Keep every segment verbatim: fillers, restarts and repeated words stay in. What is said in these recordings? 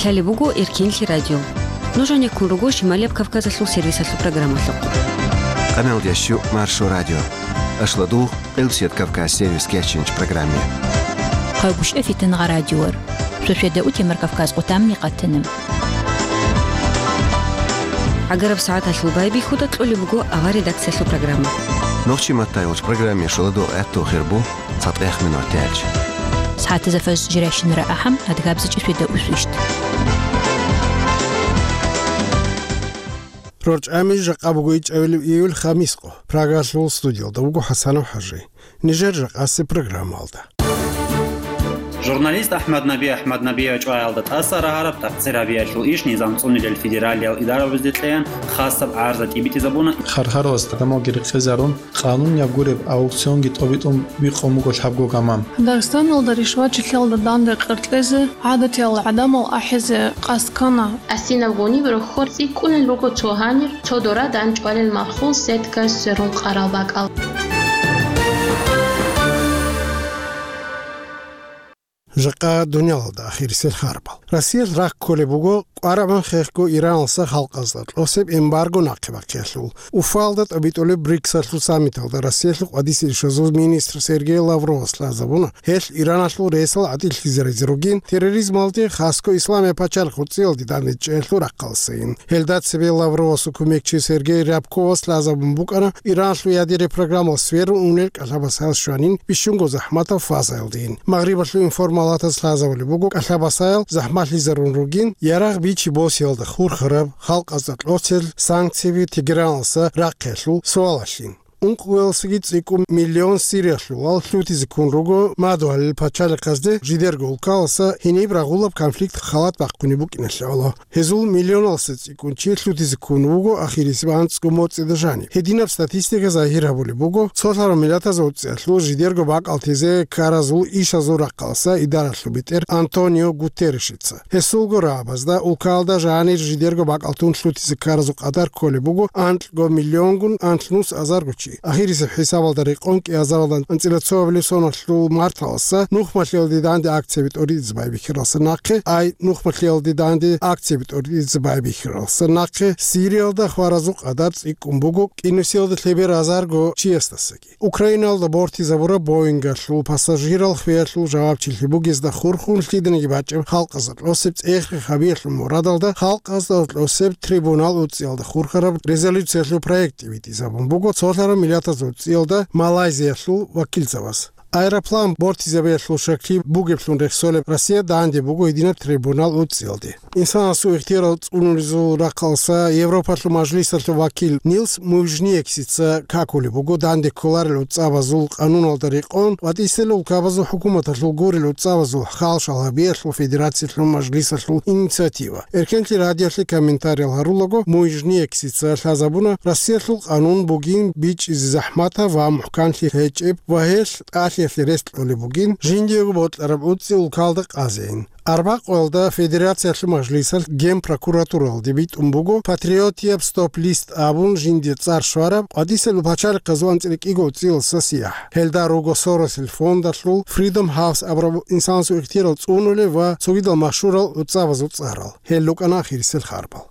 Лъалеб буго Эркенлъи радио. Нуж гьанеккун руго Шималияб Кавказалъул сервисалъул программалъухъ. Къамел ящу Маршо радио. Ашладу Къилсият Кавказ сервис кечинч программе. Къайгушев Фитнагъа радиор. Шошеда утемар Кавказ къутамни къатанам. Агараб сагӀаталъул байбихьуда кьолеб буго авар редакциялъул программа. Нохчи маттай уч программе шоладу гӀатту хирбу. ЦатӀех минут тяч. СагӀатаза фаж жирайщинара ахӀам, адгабзичӀи шведа усвищт. РорчӀами жакъа буго ичӀабилеб июль хамискъо. Прагалъул студиялда вуго ХӀасанов ХӀажи. Нижер жакъасе программалда. Журналист АхӀмад Наби АхӀмаднабиев чӀваялда тӀаса рагьараб такъсир гьабиялъул иш низам цӀунилел федералиял идарабазде кьеян хасаб гӀарза тӀибитӀизабуна. Хархаралас гамалги рекъезарун, къанунияб гуреб аукционги тӀобитӀун бикъун буго лъабго гаман. Дагъистаналда ришвачилъиялда данде къеркьезе, гӀадатиял гӀадамал ахӀизе къасд ккана. Асинаб гъуниб рохьор цӀикӀкӀунел руго цо гьанир, цо дора данчӀвалел мархул сеткаялъ сверун къарал бакӀал. Жакъа дуниялалда ахирисел харбал. Россиялъ рахъ кколеб буго, къварагӀун хехго Ираналса халкъазда кьосеб эмбарго нахъе бахъиялъул. Уфалда тӀобитӀулеб БРИКСалъул саммиталда Россиялъул къвадисел ишазул министр Сергей Лавровас лъазабуна, гьелъ Ираналъул ресал гӀатӀилъизе рази ругин, терроризмалде, хасго Исламияб пачалихъ цӀиялде данде чӀеялъул рахъалсайин. Гьелда цебе Лавровасул кумекчи Сергей Рябковас лъазабун букӀана, Ираналъул ядерный программал сверун унел кӀалъабасаял щванин бищунго захӀматаб фазаялдейин. Магърибалъул информалатаз лъазабулеб буго, кӀалъабасаял захӀмалъизарун ругин, ярагъ бичи-босиялда хурхараб, халкъазда кьосел санкцияби Тегераналса рахъиялъул суалалъин. Ункъоялдасаги цӀикӀкӀун миллион Сириялъулал лъутизе ккун руго мадугьалил пачалихъазде жидерго улкаласа гьениб рагъулаб конфликт халат бахъунеб букӀиналъе гӀоло. Гьезул миллионалдаса цӀикӀкӀун чи лъутизе ккун вуго ахирисеб анцӀго моцӀида жаниб. Гьединаб статистика загьир гьабулеб буго цолъараб миллатазул цӀиялъул жидерго бакӀалтезе ккаразул ишазул рахъалса идаралъул бетӀер Антонио Гутерришица. Гьесулго рагӀабазда улкалда жанир жидерго бакӀалтун лъутизе ккаразул къадар кколеб буго анкьго миллионгун анлънус азарго чи. Ахирисеб хӀисабалда рекъон кӀиазаралда анцӀила цоабилеб соналъул марталаса нухмалъиялде данде акцияби тӀоритӀизе байбихьаралса нахъе, ай нухмалъиялде данде акцияби тӀоритӀизе байбихьаралса нахъе Сириялда хваразул къадар цӀикӀкӀун буго кӀинусиялда лъеберазарго чиясдасаги. Украиналда бортизабураб Боингалъул пассажирал хвеялъул жавабчилъи бугезда хурхун лъиданиги бачӀеб халкъазда кьосеб цӀех-рех гьабиялъул мурадалда халкъазда кьосеб трибунал уцӀиялда хурхараб резолюциялъул проект тӀибитӀизабун буго цолъараб миллатазул цӀиялда Малайзиялъул вакилзабаз. Аэроплан бортизабиялъул щаклъи бугеблъун рехсолеб Россия данде буго гьединаб трибунал уцӀиялде. Инсанасул ихтиярал цӀунулезул рахъалса Европалъул мажлисалъул вакил Нилс Мужниексица какулеб буго данде кколарел уцӀабазул къануналда рекъон ва тӀисел улкабазул хӀукуматалъул гурел уцӀабазул хал-шал гьабиялъул федерациялъул мажлисалъул инициатива. Эркенлъи радиоялъе комментариял гьарулаго Мужниексица лъазабуна Россиялъул къанун бугин бичӀчӀизе захӀматаб ва мухӀканлъи гьечӀеб ва гьелъ тӀалъиялъе рес кьолеб бугин жиндиего бокьараб уцӀи улкалда къазейин. Арбакъоялда Федерациялъул мажлисалъ Генпрокуратуралде битӀун буго патриотияб стоп-лист абун жинде цӀар щвараб къватӀисел пачалихъазул анцӀила кӀиго цӀиялдаса сияхӀ. Гьелда руго Соросил фондалъул Freedom House абураб инсанасул ихтиярал цӀунулел ва цогидал машгьурал уцӀабазул цӀарал. Гьел рукӀана ахирисел харбал.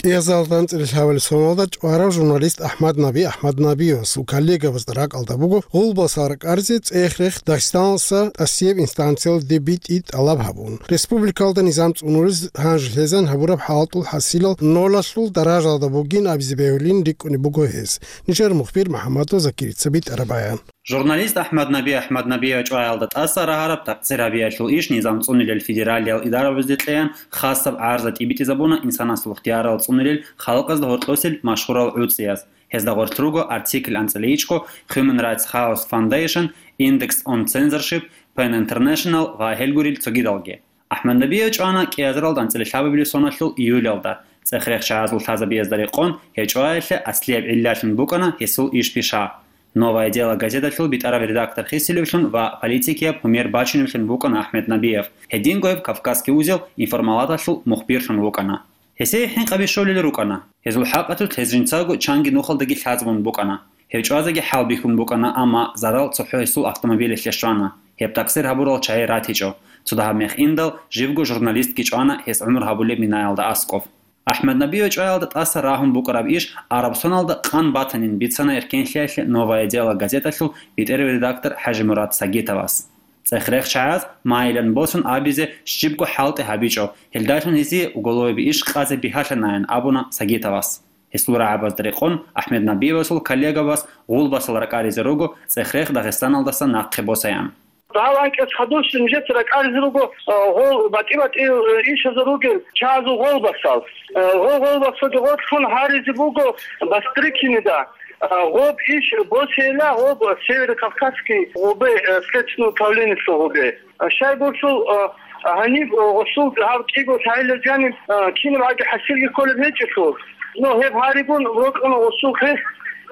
КӀиазалда анцӀила лъабабилеб соналда чӀварав журналист АхӀмад Наби АхӀмаднабиевасул коллегабазда ракӀалда буго гъулбаса ракӀаризе цӀех-рех Дагъистаналдаса тӀасияб инстанциялде битӀи тӀалаб гьабун. Республикалда низам цӀунулез гьанже лъезан гьабураб хӀалтӀул хӀасилал нолалъул даражалда бугин абизе бегьулин рикӀкӀунеб буго гьез. Нижер мухбир МухӀаммадов Закирица битӀараб баян. Журналист АхӀмад Наби АхӀмаднабиев чӀваялда тӀаса рагьараб такъсир гьабиялъул иш низам цӀунилел федералиял идарабазде кьеян хасаб гӀарза тӀибитӀизабуна инсанасул ихтиярал цӀунилел халкъазда гьоркьосел машгьурал гӀуцӀияз. Гьезда гъорлъ руго артикль анцӀила ичӀго, Human Rights House Foundation, Index on Censorship, ПЕН International ва гьел гурел цогидалги. АхӀмаднабиев чӀвана кӀиазаралда анцӀила лъабабилеб соналъул июлялда, цӀех-рех чагӀазул лъазабиязда рекъон, гьев чӀваялъе аслияб гӀиллалъун букӀана гьесул иш пиша. «Новое дело» газеталъул битӀараб редактор хисилевлъун ва политикияб гьумер бачуневлъун букӀана АхӀмаднабиев. Гьединго гьев «Кавказский узел» информалаталъул мухбирлъун вукӀана. Гьесие хӀинкъаби щолел рукӀана. Гьезул хӀакъалъулъ гьез жинцаго чанги нухалдаги лъазабун букӀана. Гьев чӀвазеги хӀалбихьун букӀана, амма зарал цохӀо гьесул автомобилалъе щвана. Гьеб такъсир гьабурал чагӀи ратичӀо. Цо дагьаб мех индал, живго журналистги чӀвана гьес гӀумру гьабулеб минаялда аскӀоб. АхӀмад Набиев чӀваялда тӀаса рагьун букӀараб иш Арабсоналда къан батанин бицана эркенлъиялъе «Новое дело» газеталъул бетӀер редактор ХӀажимурад Сагитовас. ЦӀехрех чагӀаз майилан босун абизе щибго хӀалтӀи гьабичӀо, гьелдалъун гьезие уголоваби иш къазе бигьалъанаян абуна Сагитовас. Гьесул рагӀабазда рекъон АхӀмад Набиевасул коллегабаз гъулбасал ракӀаризе руго цӀехрех Дагъистаналдаса нахъе босаян. Гьав анкьас хадурщин нижеца ракӀаризе руго, а, гъол батӀи-батӀи, э, ишазул ругел чагӀазул гъолбасал. Э, гъо-, гъолбасалги гъорлъун гьаризе буго Бастрыкинида, а, гъоб иш босейила гъоб Северо-Кавказский гъубе, э, следственное управлениялъул гъубе. А, щайгурелъул, а, гьаниб, а, гъосул гьав кӀиго лъагӀел жаниб, а, кинаб гӀаги хӀасилги кколеб гьечӀелъул. Ну, гьеб гьаригун рокьуна гъосул хвест,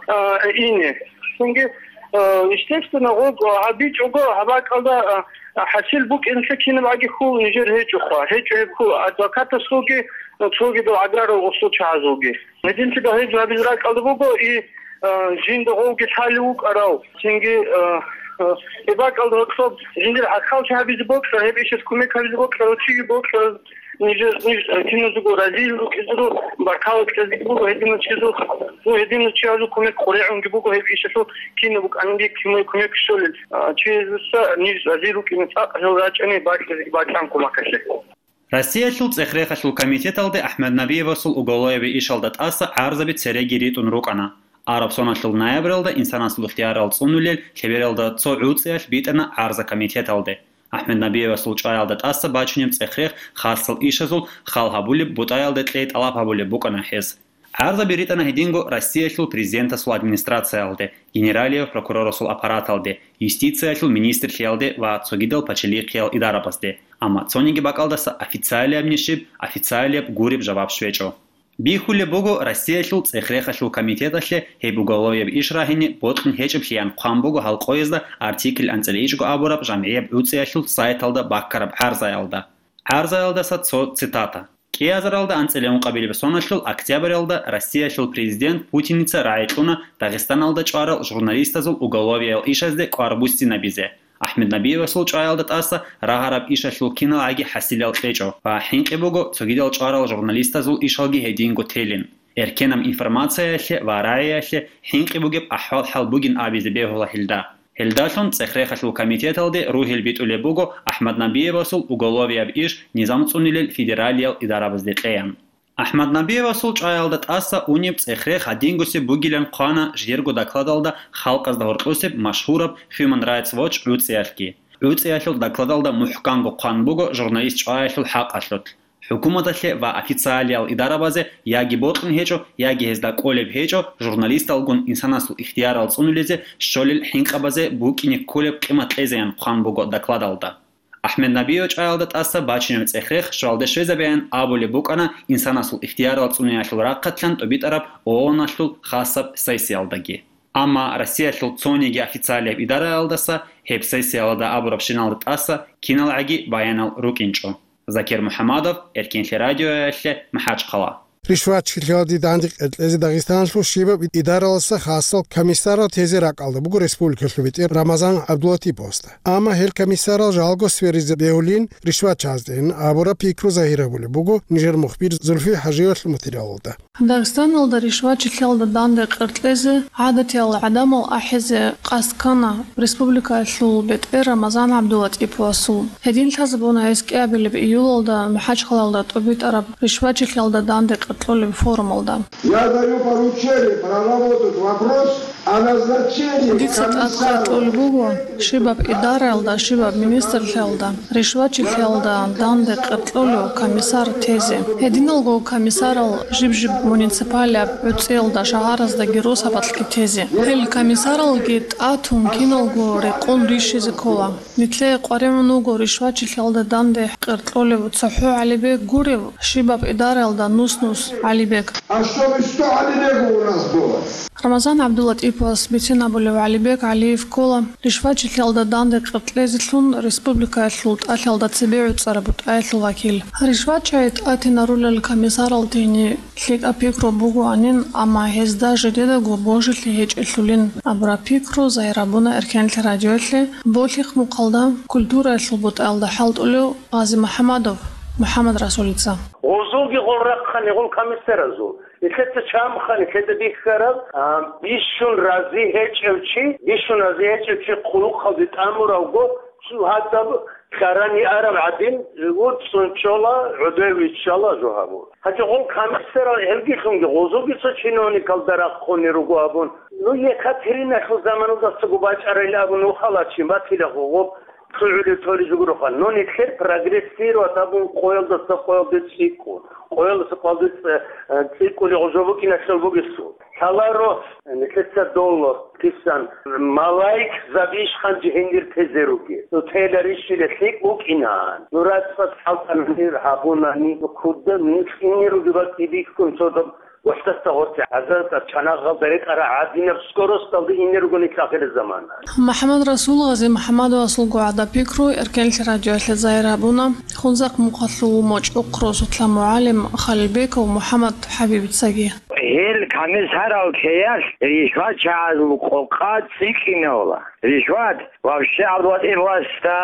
а, ине. Цинги, а, естественно, гъоб, а, гьабичӀого гьаб бакӀалда, а, а, хӀасил букӀиналъе кинаб гӀаги хьул нижер гьечӀоха. ГьечӀо гьеб хьул адвокатасулги, а, цогидал гӀагарал гъосул чагӀазулги. Гьединлъидал гьеб гьабизе ракӀалда буго и, а, жинда гъовги лъалев вукӀарав, цинги, а, а, гьеб бакӀалда гьоркьоб жиндир гӀахьаллъи гьабизе бокьа, гьеб ишас кумек гьабизе бокьарав чиги бокьа, нижер, ниж, а, киназего разил рукӀизару, баркала кьезе буго гьединав чизул, ну, гьединав чиязул кумек къурегӀунги буго гьеб ишалъул кинаб букӀаниги кумек, кумек щолел, а, чиясдаса ниж разил рукӀине цӀакъ гьел рачӀани бакьазе бакьан кумекалъе. Россиялъул цӀехрехалъул комитеталде АхӀмад Набиевасул уголоваби ишалда тӀаса гӀарзаби цереги ритӀун рукӀана. Арабсоналъул ноябралда инсанасул ихтиярал цӀунулел лъебералда цо гӀуцӀиялъ битӀана гӀарза комитеталде. АхӀмад Набиевасул чӀваялда тӀаса бачунеб цӀехрех хасал ишазул хал гьабулеб бутӀаялда кьей тӀалаб гьабулеб букӀана гьес. ГӀарзаби ритӀана гьединго Россиялъул президентасул администрациялде, генералияв прокурорасул аппараталде, юстициялъул министрлъиялде ва цогидал пачалихъиял идарабазде, амма цониги бакӀалдаса официалияб нишиб, официалияб гуреб жаваб щвечӀо. Бихьулеб буго, Россиялъул цӀехрехалъул комитеталъе гьеб уголовияб иш рагьине бокьун гьечӀеблъиян хъван буго гьал къоязда артикль анцӀила ичӀго абураб жамгӀияб гӀуцӀиялъул сайталда баккараб гӀарзаялда. ГӀарзаялдаса цо цитата. КӀиазаралда анцӀила ункъабилеб соналъул октябралда Россиялъул президент Путиница рагӀи кьуна Дагъистаналда чӀварал журналистазул уголовиял ишазде кӀвар буссинабизе. АхӀмад Набиевасул чӀваялда тӀаса рагьараб ишалъул киналгӀаги хӀасилал кьечӀо ва хӀинкъи буго цогидал чӀварал журналистазул ишалги гьединго телин. Эркенаб информациялъе ва рагӀиялъе хӀинкъи бугеб ахӀвал-хӀал бугин абизе бегьула гьелда. Гьелдалъун цӀехрехалъул комитеталде ругьел битӀулеб буго АхӀмад Набиевасул уголовияб иш низам цӀунилел федералиял идарабазде кьеян. АхӀмад Набиевасул чӀваялда тӀаса унеб цӀехрех гьадингусеб бугилан хъвана жидерго докладалда халкъазда гьоркьосеб машгьураб Human Rights Watch гӀуцӀиялъги. ГӀуцӀиялъул докладалда мухӀканго хъван буго журналист чӀваялъул хӀакъалъулъ. ХӀукуматалъе ва официалиял идарабазе яги бокьун гьечӀо, яги гьезда кӀолеб гьечӀо журналисталгун инсанасул ихтиярал цӀунулезе щолел хӀинкъабазе букӀине кколеб къимат кьезеян хъван буго докладалда. АхӀмад Набиев чӀваялда тӀаса бачунеб цӀехрех щвалде щвезабеян абулеб букӀана инсанасул ихтиярал цӀуниялъул рахъалъан тӀубитӀараб ООН-алъул хасаб сессиялдаги. Амма Россиялъул цониги официалияб идараялдаса гьеб сессиялда абурабщиналда тӀаса киналгӀаги баянал рукӀинчӀо. Закир МухӀамадов, Эркенлъи радиоялъе, МахӀачхъала. Ришватчилъиялде данде къеркьезе Дагъистаналъул щибаб идараласа хасал комиссарал тезе ракӀалда буго республикалъул бетӀер Рамазан ГӀабдулатиповасда. Амма гьел комиссарал жалго сверизе бегьулин ришватчазде абураб пикру загьир гьабулеб буго нижер мухбир Зульфи ХӀажиевалъул материалалда. Дагъистаналда ришватчилъиялда данде къеркьезе гӀадатиял гӀадамал ахӀизе къасд ккана республикаялъул бетӀер Рамазан ГӀабдулатиповасул. Гьедин лъазабуна гьес кӀиабилеб июлалда МахӀачхъалаялда тӀубитӀараб ришватчилъиялда данде къеркьолеб форумалда. Я даю поручение проработать вопрос о назначении Дица тӀад комиссара. Къаркьулеб буго, щибаб идараялда, щибаб министрлъиялда ришватчилъиялда данде къеркьолев комиссар тезе. Гьединалго комиссарал жиб-жиб муниципалияб гӀуцӀиялда, шагьараздаги росабалъги тезе. Гьел комиссаралги тӀатун киналго рекъон рищизе ккола. Нилъее къваригӀун вуго ришватчилъиялда данде къеркьолев цохӀо гӀалибег гурев, щибаб идараялда нус-нус гӀалибег. А чтобы сто гӀалибегов у нас было. Рамазан ГӀабдулатип вас бицин абулев ГӀалибек ГӀалиев ккола ришвачилъиялда данде къеркьезелъун республикаялъул тӀалъиялда цебе гӀуцӀараб бутӀаялъул вакил. РишвачагӀи тӀатинарулел комиссаралдейни лъикӀаб пикру бугоанин, амма гьезда жидедаго божилъи гьечӀелъулин абураб пикру загьир гьабуна Эркенлъи радиоялъе болъихъ мухъалда культураялъул бутӀаялда хӀалтӀулев Гъази МухӀамадов МухӀаммад Расулица. Гъозулги гъол рахъани гъол комиссаразул. Нилъеца чамхъани нилъеда бихьараб, а, бищун рази гьечӀев чи, бищун рази гьечӀев чи хъулухъалде тӀамуравго, цо гьадаб кьарани араб гӀадин, цӀунчӀола, гӀодой виччала жо гьабун. Гьанже гъол комиссарал гьелгилъунги гъозулги цо чиновникалда рахъуни руго абун. Ну, Екатериналъул заманалдасаго бачӀарайилан абун нухалачин батила гъо, гъо. ЛъугӀулев толеб жо гуроха. Ну, нилъер прогрессировать абун къоялдаса къоялде цӀикӀкӀун. Къоялдаса къоялде цӀи-, э, цӀикӀкӀуни гъужо букӀиналъул бугесул. Лъаларо, э, нилъеца доло, кисан, малаик забищ ханжи гьенир тезе руге. Ну, тела рищиле лъикӀ букӀинаан. Ну, рацӀцӀад хӀалтӀананир гьабунани, ну, куда, ну, кьине руге бакӀи бихьун, цо доб ВахӀдатда гъоркье гӀазарда чанагъалда ретӀарагӀадинаб скоросталда ине ругони ахирзамана. МухӀаммад Расул Гъази МухӀаммадовасулго гӀадаб пикру Эркенлъи радиоялъе загьир гьабуна Хунзахъ мухъалъул мочӀухъ росулъа мугӀалим Халилбеков МухӀаммад ХӀабибицаги. Гьел комиссарал чеялъ ришвачагӀазул къокъа цӀикӀкӀинавула. Ришват вообще гӀадватӀиб васда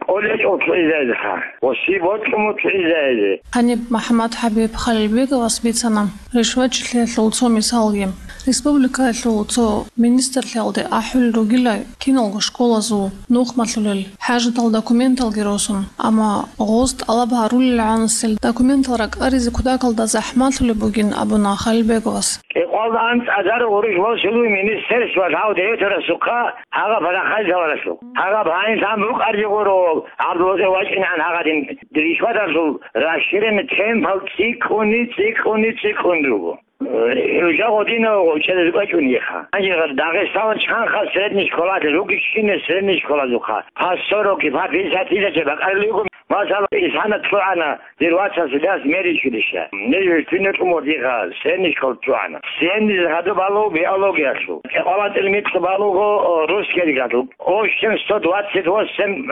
кӀолечӀо лъугӀизайзеха, ва щиб бокьун лъугӀизайзе. Гьаниб МухӀаммад ХӀабиб Халилбековас бицана ришвачилъиялъул цо мисалги. Республикаялъул цо министрлъиялде ахӀулел ругила киналго школазул нухмалъулел, хӀажатал документалги росун, амма гъоз тӀалаб гьарулел гӀанасел документал ракӀаризе кутакалда захӀмалъулеб бугин абуна Халилбековас. КӀикъвалда анцӀазар гъурущ босулуй министерство лъав девятарасухъа гьагъаб парахъай лъаваралъух. Гьагъаб гьанилъан букӀарги гъуро, гӀабдулатӀе вачӀинегӀан гьагъадин ришваталъул расширенный темпал цӀикӀкӀуни, цӀикӀкӀуни, цӀикӀкӀун руго. ХӀужа гъодинав гъоркьезе бачӀунеха. Гьанже Дагъистаналда чанха средний школалъе ругищинаб средний школазухъа? По сто рокӀи, по пятьдесят тысяч бакӀарулего. Масала, исана лъугӀана дир вацас Ильяс медучилище. Нижер кине тӀумурдиха средний школа лъугӀана. Средний гьадуб балугъ биологиялъул. КӀикъвалда микьу балугъ, о, русский гьадуб. Общем сто двадцать восемь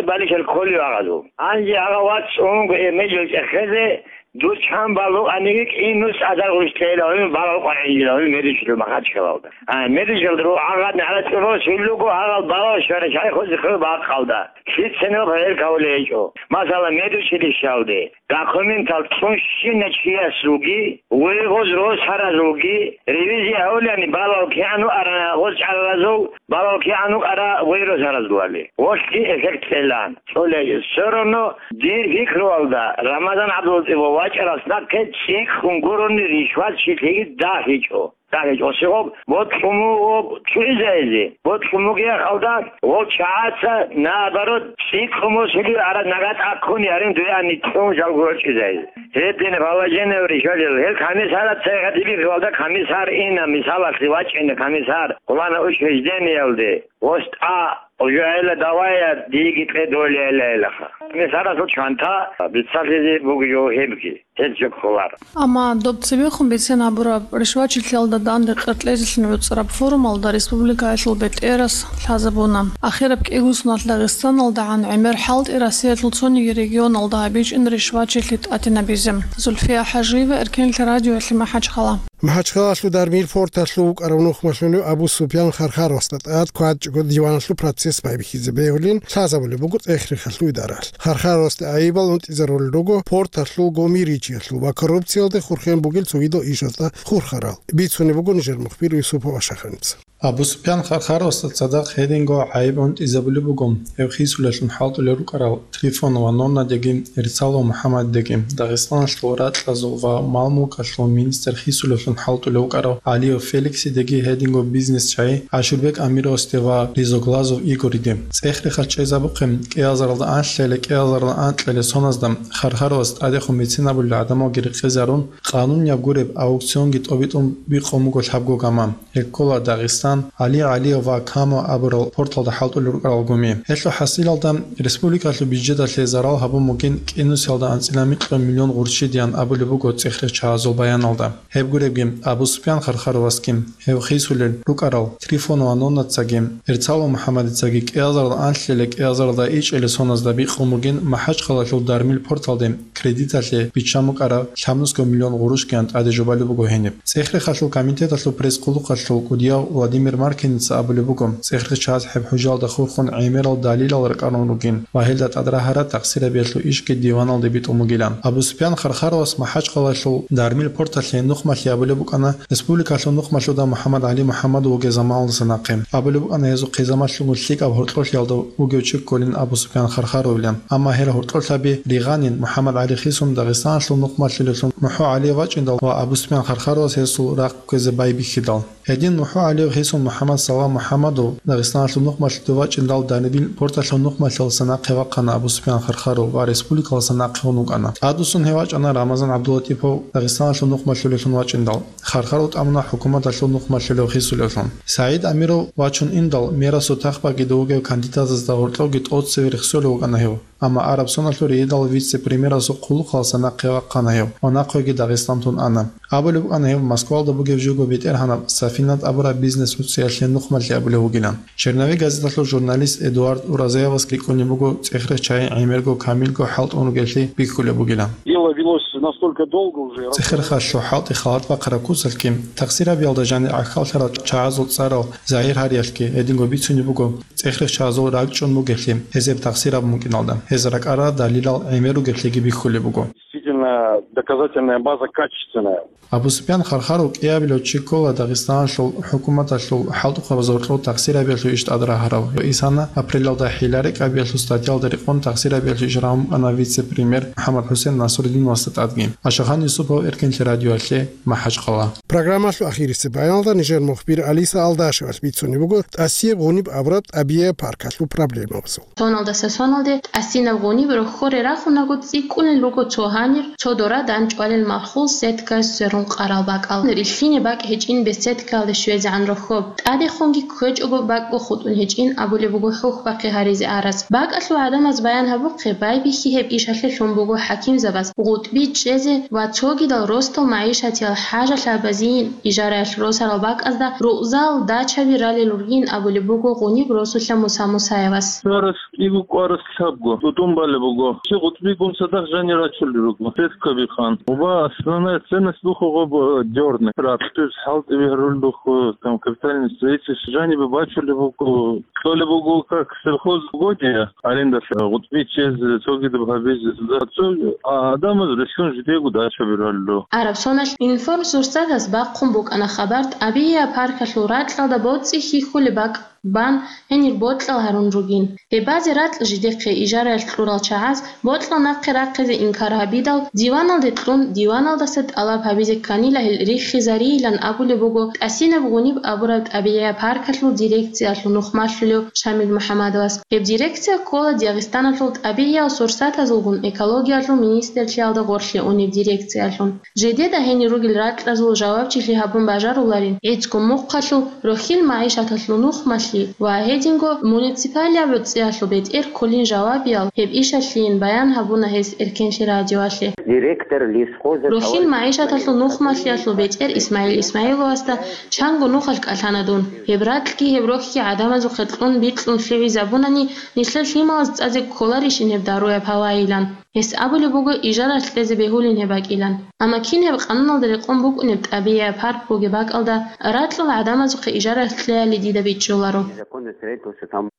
балихьал кколев гьагъадул. Гьанже гьагъа вац унго гьеб меджел чӀехезе, дур чан балугъ аниги кӀинус азар гъуш тейла гьуни балал къваригӀинила гьуни медучилище Махачкалалда. А, медучилище гьагъадин гӀарацӀи рос вилуго гьагъал балал щвара шайхузе хъу бахъалда. Лъицаниги гьел кавулей гьечӀо. Масала, медучилищалде документал цӀунщина чиясулги, вуйгъуз росаразулги ревизия гьавулани балал кигӀан вукӀарана гъоз чӀараразул, балал кигӀан вукӀара вуй росаразулали. Гъолъги эффект кьелан. ЦӀолей, всё равно дир пикруялда Рамазан ГӀабдулатӀиповас вачӀарас нахъе цӀикӀкӀун гурони ришватчилъиги дагьичӀо. ДагьичӀо. Щиб гъоб бокьун буго лъугӀизайзе? Бокьун бугеб мехалда гъол чагӀаца, наоборот, цӀикӀкӀун босулеб араб нагагь тӀаккуни гьарин дуе ани кьун жал гъоркьизайзе. Гьедин положение ришвалел. Гьел комиссарат цайха дибихьулда комиссар ина, мисалалъе вачӀина комиссар, хъулана учреждениялде. ВостӀа, уже гьела давая, диги кье долейилаха. Комиссарасул чанта бицалъизе бугеб гьебги. Гьел жо кколаро. Амма доб цебехун бицен гьабураб ришвачилъиялда данде къеркьезелъун гӀуцӀараб форумалда республикаялъул бетӀерас лъазабуна. Ахираб кӀиго соналъ ДагъистаналдагӀан гӀемер хӀалтӀи Россиялъул цониги регионалда гьабичӀин ришвачилъи тӀатинабизе. Зульфия ХӀажиева, Эркенлъи радиоялъе, МахӀачхъала. МахӀачхъалалъул Дармил порталъув вукӀарав нухмалъулев Абу Супьян Хархаровасда тӀад квачӀого диваналъул процесс байбихьизе бегьулин лъазабулеб буго цӀех-рехалъул идаралъ. Хархаровасде гӀайибал унтӀизарулел руго порталъул гомеричиялъул ва коррупциялде хурхен бугел цогидал ишазда хурхарал. Бицунеб буго нижер мухбир Юсупов Ашаханица. Абу Супьян Хархаровасда цадахъ гьединго гӀайиб унтӀизабулеб буго, гьев хисулелъун хӀалтӀулел рукӀарал Трифонова Ноннадеги, Рицалов МухӀаммаддеги, Дагъистаналъул ракьазул ва мал-мулкалъул министр хисулевлъун хӀалтӀулев вукӀарав ГӀалиев Феликсидеги гьединго бизнес-чагӀи Ашурбек Амировасде ва Ризоглазов Игориде. ЦӀех-рехалъ чӀезабухъе, кӀиазаралда анлъале, кӀиазаралда анкьале соназда Хархаровас тӀадехун бицинабулел гӀадамалги рекъезарун, къанунияб гуреб аукционги тӀобитӀун бикъун буго лъабго гаман. Гьел ккола Дагъистан Дагъистан, ГӀали ГӀалиев ва Камо абурал порталда хӀалтӀулел рукӀарал гуми. Гьелъул хӀасилалда республикалъул бюджеталъе зарал гьабун бугин кӀинусиялда анцӀила микьго миллион гъурччидеян абулеб буго цӀехрехъ чагӀазул баяналда. Гьеб гуребги, Абу Суфиян Хархаровасги, гьев хисулел рукӀарал Трифонова Ноннацаги, Эрцалов МухӀаммадицаги кӀиазарал анлъила кӀиазаралда ичӀелесоназда бикъун бугин МахӀачхъалалъул Дармил порталде кредиталъе биччан букӀараб лъабнусго миллион гъурущгиян тӀаде жубалеб буго гьениб. ЦӀехрехъалъул комитеталъул пресс-хъулухъалъул кӀудияв Владимир Маркиница абулеб буго, цӀехрехъ чагӀаз гьеб хӀужалда хурхун гӀемерал далилал ракӀарун ругин ва гьелда тӀадрагьараб тахсирабиялъул ишги диваналде битӀун бугилан. Абу Суфиян Хархаровас МахӀачхъалалъул Дармил порталъе нухмалъи абулеб букӀана, республикалъул нухмалъуда МухӀаммад ГӀали МухӀаммадов вугев заманалдаса нахъе. Абулеб букӀана гьезухъе замалъуго лъикӀаб гьоркьоблъиялда вугев чи кколин Абу Суфиян Хархаровилан. Амма гьел гьоркьоблъаби ригъанин МухӀаммад ГӀали хисун Дагъистаналъул нухмалъулелъун МухӀу ГӀалиев вачӀиндал ва Абу Суфиян Хархаровас гьесул рахъ кквезе байбихьидал. Гьедин МухӀу ГӀалиев хисун МухӀаммад Салам МухӀаммадов Дагъистаналъул нухмалъулев вачӀиндал Дармил порталъул нухмалъиялдаса нахъе вахъана Абу Суфиян Хархаров ва республикалдаса нахъе ун вукӀана. ТӀадвуссун гьев вачӀана Рамазан ГӀабдулатӀипов Дагъистаналъул нухмалъулелъун вачӀиндал. Хархаров тӀамуна хӀукуматалъул нухмалъулев хисулевлъун. СагӀид Амиров вачун индал, мерасул тахбагида вугев кандидатазда гьоркьовги тӀоцеве рехсолев вукӀана гьев. Амма араб соналъул рейдал вице-премьерасул хъулухъалдаса нахъе вахъана гьев ва нахъеги Дагъистан тун ана. Абулеб букӀана гьев Москвалда бугеб жого бетӀергьанаб Сафинат абураб бизнес-нуцӀиялъе нухмалъи абулев вугилан. Черновик газеталъул журналист Эдуард Уразаевас рикӀкӀунеб буго цӀехрехъ чагӀи гӀемерго камилго хӀалтӀун ругелъи бихьулеб бугилан. Дело велось настолько долго уже. ЦӀехрехъалъул хӀалтӀи халат бахъараб куцалъги, тахсирабиялда жанир гӀахьаллъарал чагӀазул цӀарал загьир гьариялъги гьединго бицунеб буго, цӀехрехъ чагӀазул ракӀчӀун бугелъи, гьезеб тахсир абун букӀиналда, гьез ракӀарал далилал гӀемер ругелъиги бихьулеб буго. Действительно, доказательная база качественная. Абу Супян Хархаров кӀиабилев чи ккола Дагъистаналъул хӀукуматалъул хӀалтӀухъабазда гьоркьов тахсирабиялъул иш тӀадрагьарав. Исана апрелалда хӀилла-рекӀкӀабиялъул статьялда рекъон тахсирабиялъул иш рагӀун букӀана вице-премьер МухӀаммад ХӀусен Насрудиновасда тӀадги. Ашахан Юсупов, Эркенлъи радиоялъе, МахӀачхъала. Программалъул ахирисеб баяналда нижер мухбир Алиса Алдашевас бицунеб буго тӀасияб гъуниб абураб тӀабигӀияб паркалъул проблемабазул. Соналдаса соналде тӀасинаб гъуниб рохьоре рахунаго цӀикӀкӀунел руго цо гьанир, цо дора данчӀвалел малъул сеткаялъ сверун къарал бакӀал. Рилълъине бакӀ гьечӀин беседкаялде щвезегӀан рохьоб. ТӀадехунги кквечӀого бакӀго хутӀун гьечӀин абулеб буго хӀухьбахъи гьаризе араз. БакӀалъул гӀадамаз баян гьабухъе, байбихьи гьеб ишалъе лъун буго хӀакимзабаз, гъутӀби чӀезе ва цогидал росдал магӀишатиял хӀажалъабазейин ижараялъ росарал бакӀазда рукъзал, дачаби ралел ругин абулеб буго гъуниб росулъа Муса Мусаевас. Царас кӀиго кӀварас лъабго тӀутӀун балеб буго. Чи гъутӀбигун цадахъ жанир рачулел руго. Сеткаби хан. Уба основная ценность буху гъоб, э, дёрный. Ракьтуз хӀалтӀи бигьарулел буху, там, капитальный строительство жанибе бачулеб буго. Кьолеб буго как сельхоз угодие, арендалъе гъутӀби чӀезе, цогидаб гьабизе. За цо, а, адамаз релълъун жидего дачаби раллу. Араб соналъ Информ сурсатас бахъун букӀана хабар тӀабигӀияб паркалъул ракьалда боцӀи хьихьулеб бакӀ бан гьенир бокьал гьарун ругин. Гьеб базе ракь жидехъе ижараялъ кьурал чагӀаз бокьал нахъе рахъизе инкар гьабидал, диваналде кьун, диваналдаса тӀалаб гьабизе кканила гьел риххизарийилан абулеб буго тӀасинаб гъуниб абураб тӀабигӀияб паркалъул дирекциялъул нухмалъулев Шамил МухӀаммадовас. Гьеб дирекция ккола Дагъистаналъул тӀабигӀиял сурсатазулгун экологиялъул министрлъиялда гъорлъе унеб дирекциялъун. Жидеда гьенир ругел ракьазул жавабчилъи гьабун бажаруларин, гӀицӀго мухъалъул, рохьил магӀишаталъул нухмалъи ва гьединго муниципалияб гӀуцӀиялъул бетӀер кколин жавабиял гьеб ишалъийин баян гьабуна гьес Эркенлъи радиоялъе. Директор лесхоза Рохьил магӀишаталъул нухмалъиялъул бетӀер Исмаил Исмаиловасда чанго нухалъ кӀалъана дун. Гьеб ракьги гьеб рохьги гӀадамазухъе кьун бикьун лъугӀизабунани, нилъер лъималаз цӀазе кколарищин гьеб даруяб гьавайилан. Гьес абулеб буго ижаралъ кьезе бегьулин гьеб бакӀилан. Амма кин гьеб къануналда рекъон букӀунеб тӀабигӀияб парк бугеб бакӀалда ракьул гӀадамазухъе ижаралъ кьеяли дида бичӀчӀуларо.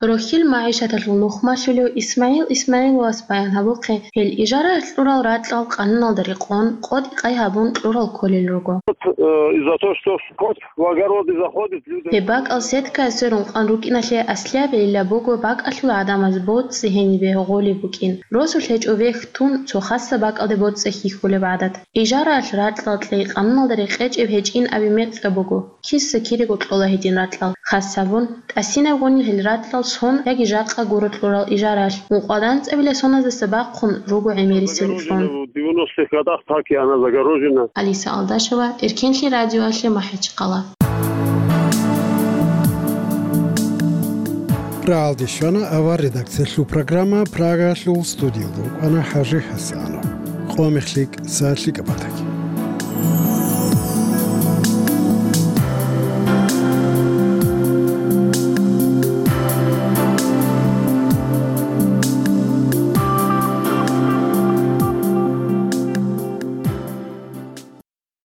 Рохьил магӀишаталъул нухмалъулев Исмаил Исмаиловас баян гьабухъе, гьел ижаралъ кьурал ракьал къануналда рекъон, къотӀи-къай гьабун кьурал кколел руго. Э, из-за того, что скот в огороды заходит, люди Гьеб бакӀал сеткаялъ сверун къан рукӀиналъе аслияб гӀилла буго бакӀалъул гӀадамаз боцӀи гьенибе гъолеб букӀин. Росулъ гьечӀо вехь тун цо хасаб бакӀалде боцӀи хьихьулеб гӀадат. Ижараялъ ракьал кьей къануналда рекъечӀеб гьечӀин абе мекъаб буго, киса-кирего кьола гьедин ракьал. Хас гьабун, тӀасинаб гъунил гьел ракьал сон яги жакъа гуро кьурал ижараялъ, ункъоялда анцӀабилеб соназдаса бахъун руго гӀемерисел кьун. В девяностых годах так и она загорожена. Алиса Алдашева, Эркенлъи радиоялъе, МахӀачхъала. Рагьалде щвана авар редакциялъул программа, Прагаялъул студиялда вукӀана ХӀажи ХӀасанов. Къо мехлъи кӀса лъикӀаб батаги.